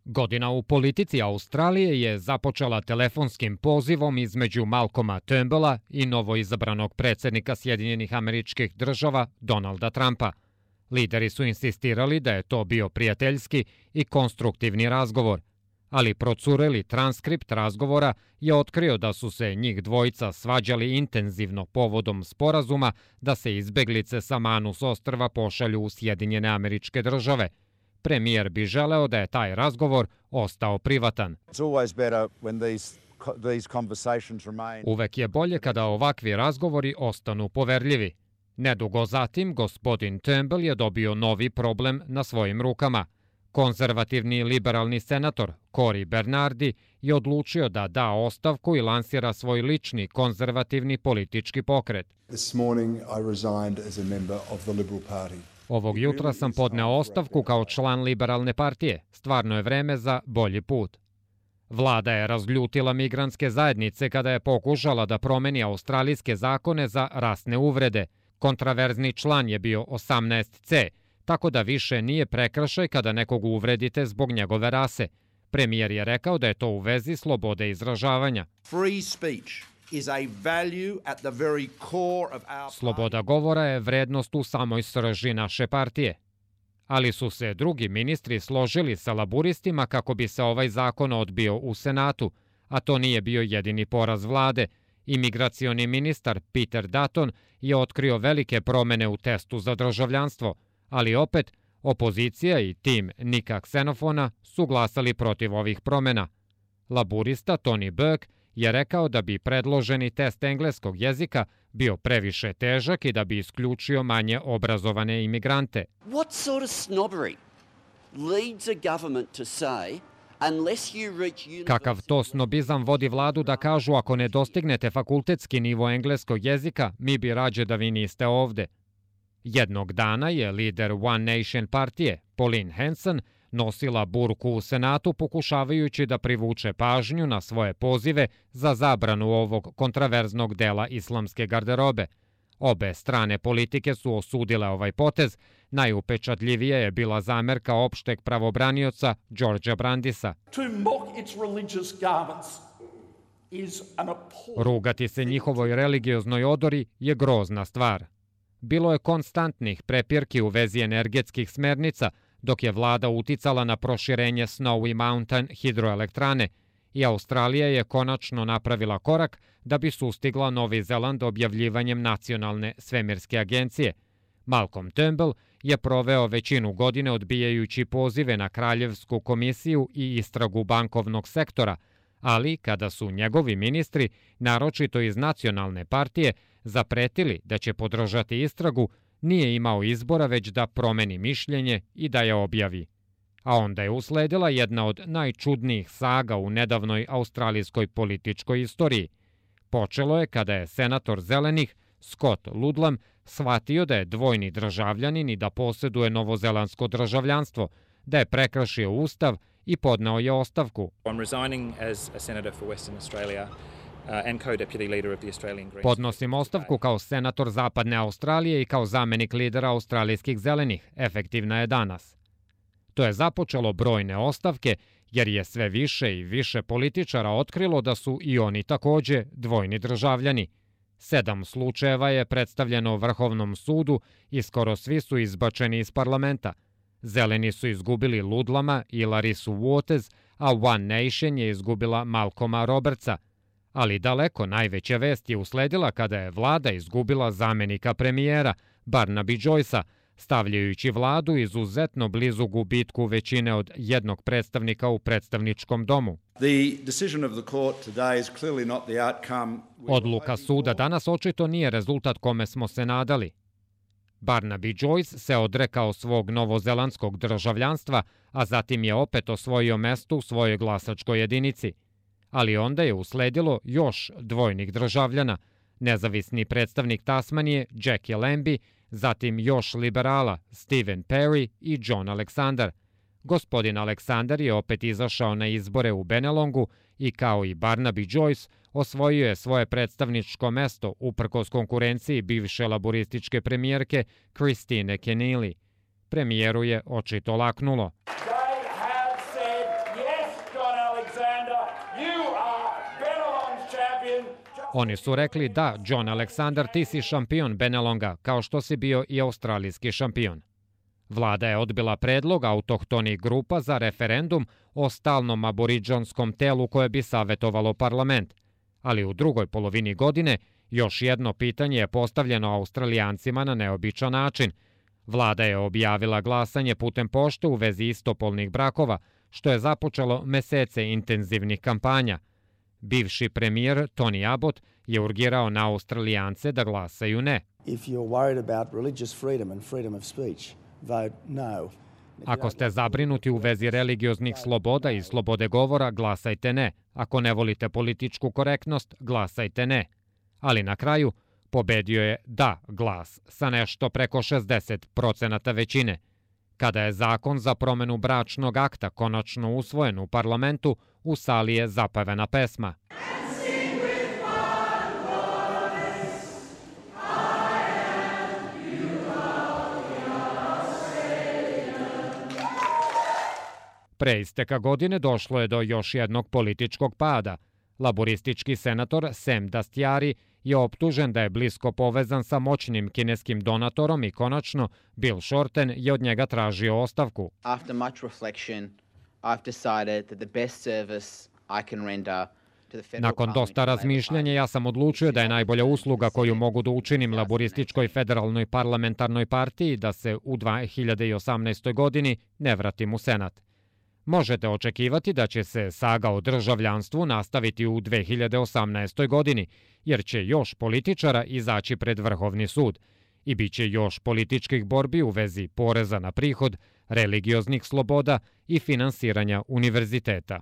Godina u politici Australije je započela telefonskim pozivom između Malcolma Turnbulla i novoizabranog predsjednika Sjedinjenih Američkih Država Donalda Trumpa. Lideri su insistirali da je to bio prijateljski i konstruktivni razgovor, ali procureli transkript razgovora je otkrio da su se njih dvojica svađali intenzivno povodom sporazuma da se izbeglice sa Manus ostrva pošalju u Sjedinjene Američke Države. Premijer bi želeo da je taj razgovor ostao privatan. Uvek je bolje kada ovakvi razgovori ostanu poverljivi. Nedugo zatim, gospodin Turnbull je dobio novi problem na svojim rukama. Konzervativni liberalni senator Cory Bernardi je odlučio da da ostavku i lansira svoj lični konzervativni politički pokret. Ovog jutra sam podneo ostavku kao član liberalne partije. Stvarno je vreme za bolji put. Vlada je razljutila migrantske zajednice kada je pokušala da promeni australijske zakone za rasne uvrede. Kontraverzni član je bio 18C, tako da više nije prekršaj kada nekog uvredite zbog njegove rase. Premijer je rekao da je to u vezi slobode izražavanja. Sloboda govora je vrednost u samoj srži naše partije. Ali su se drugi ministri složili sa laburistima kako bi se ovaj zakon odbio u Senatu, a to nije bio jedini poraz vlade. Imigracioni ministar Peter Dutton je otkrio velike promene u testu za državljanstvo, ali opet opozicija i tim Nika Ksenofona su glasali protiv ovih promena. Laburista Tony Burke je rekao da bi predloženi test engleskog jezika bio previše težak i da bi isključio manje obrazovane imigrante. What sort of snobbery leads a government to say unless you reach university... Kakav to snobizam vodi vladu da kažu ako ne dostignete fakultetski nivo engleskog jezika, mi bi rađe da vi niste ovde. Jednog dana je lider One Nation partije, Pauline Hanson, nosila burku u Senatu pokušavajući da privuče pažnju na svoje pozive za zabranu ovog kontraverznog dela islamske garderobe. Obe strane politike su osudile ovaj potez, najupečatljivija je bila zamerka opšteg pravobranioca Georgea Brandisa. Rugati se njihovoj religioznoj odori je grozna stvar. Bilo je konstantnih prepirki u vezi energetskih smernica, dok je vlada uticala na proširenje Snowy Mountain hidroelektrane i Australija je konačno napravila korak da bi sustigla Novi Zeland objavljivanjem nacionalne svemirske agencije. Malcolm Turnbull je proveo većinu godine odbijajući pozive na Kraljevsku komisiju i istragu bankovnog sektora, ali kada su njegovi ministri, naročito iz nacionalne partije, zapretili da će podržati istragu, nije imao izbora već da promeni mišljenje i da je objavi. A onda je usledila jedna od najčudnijih saga u nedavnoj australijskoj političkoj istoriji. Počelo je kada je senator Zelenih Scott Ludlam shvatio da je dvojni državljanin i da posjeduje novozelandsko državljanstvo, da je prekršio ustav i podneo je ostavku. Podnosim ostavku kao senator Zapadne Australije i kao zamenik lidera australijskih zelenih. Efektivna je danas. To je započelo brojne ostavke, jer je sve više i više političara otkrilo da su i oni takođe dvojni državljani. 7 slučajeva je predstavljeno Vrhovnom sudu i skoro svi su izbačeni iz parlamenta. Zeleni su izgubili Ludlama i Larisu Waters, a One Nation je izgubila Malcolma Robertsa. Ali daleko najveća vest je usledila kada je vlada izgubila zamenika premijera, Barnaby Joycea, stavljajući vladu izuzetno blizu gubitku većine od jednog predstavnika u predstavničkom domu. Odluka suda danas očito nije rezultat kome smo se nadali. Barnaby Joyce se odrekao svog novozelandskog državljanstva, a zatim je opet osvojio mesto u svojoj glasačkoj jedinici. Ali onda je usledilo još dvojnih državljana, nezavisni predstavnik Tasmanije Jackie Lambie, zatim još liberala Stephen Perry i John Alexander. Gospodin Alexander je opet izašao na izbore u Benelongu i kao i Barnaby Joyce osvojio je svoje predstavničko mesto uprkos konkurenciji bivše laborističke premijerke Christine Keneally. Premijeru je očito laknulo. Oni su rekli da, John Aleksandar, ti si šampion Benelonga, kao što si bio i australijski šampion. Vlada je odbila predlog autohtonih grupa za referendum o stalnom aboridžanskom telu koje bi savjetovalo parlament, ali u drugoj polovini godine još jedno pitanje je postavljeno Australijancima na neobičan način. Vlada je objavila glasanje putem pošte u vezi istopolnih brakova, što je započelo mesece intenzivnih kampanja. Bivši premijer Tony Abbott je urgirao na Australijance da glasaju ne. Ako ste zabrinuti u vezi religioznih sloboda i slobode govora, glasajte ne. Ako ne volite političku korektnost, glasajte ne. Ali na kraju pobedio je da glas sa nešto preko 60% većine. Kada je zakon za promenu bračnog akta konačno usvojen u parlamentu, u sali je zapevena pesma. Pre isteka godine došlo je do još jednog političkog pada. Laboristički senator Sam Dastyari je optužen da je blisko povezan sa moćnim kineskim donatorom i konačno Bill Shorten je od njega tražio ostavku. After much reflection, I've decided that the best service I can render to the federal Nakon dosta razmišljanja ja sam odlučio da je najbolja usluga koju mogu da učinim laborističkoj federalnoj parlamentarnoj partiji da se u 2018. godini ne vratim u Senat. Možete očekivati da će se saga o državljanstvu nastaviti u 2018. godini, jer će još političara izaći pred Vrhovni sud i bit će još političkih borbi u vezi poreza na prihod, religioznih sloboda i finansiranja univerziteta.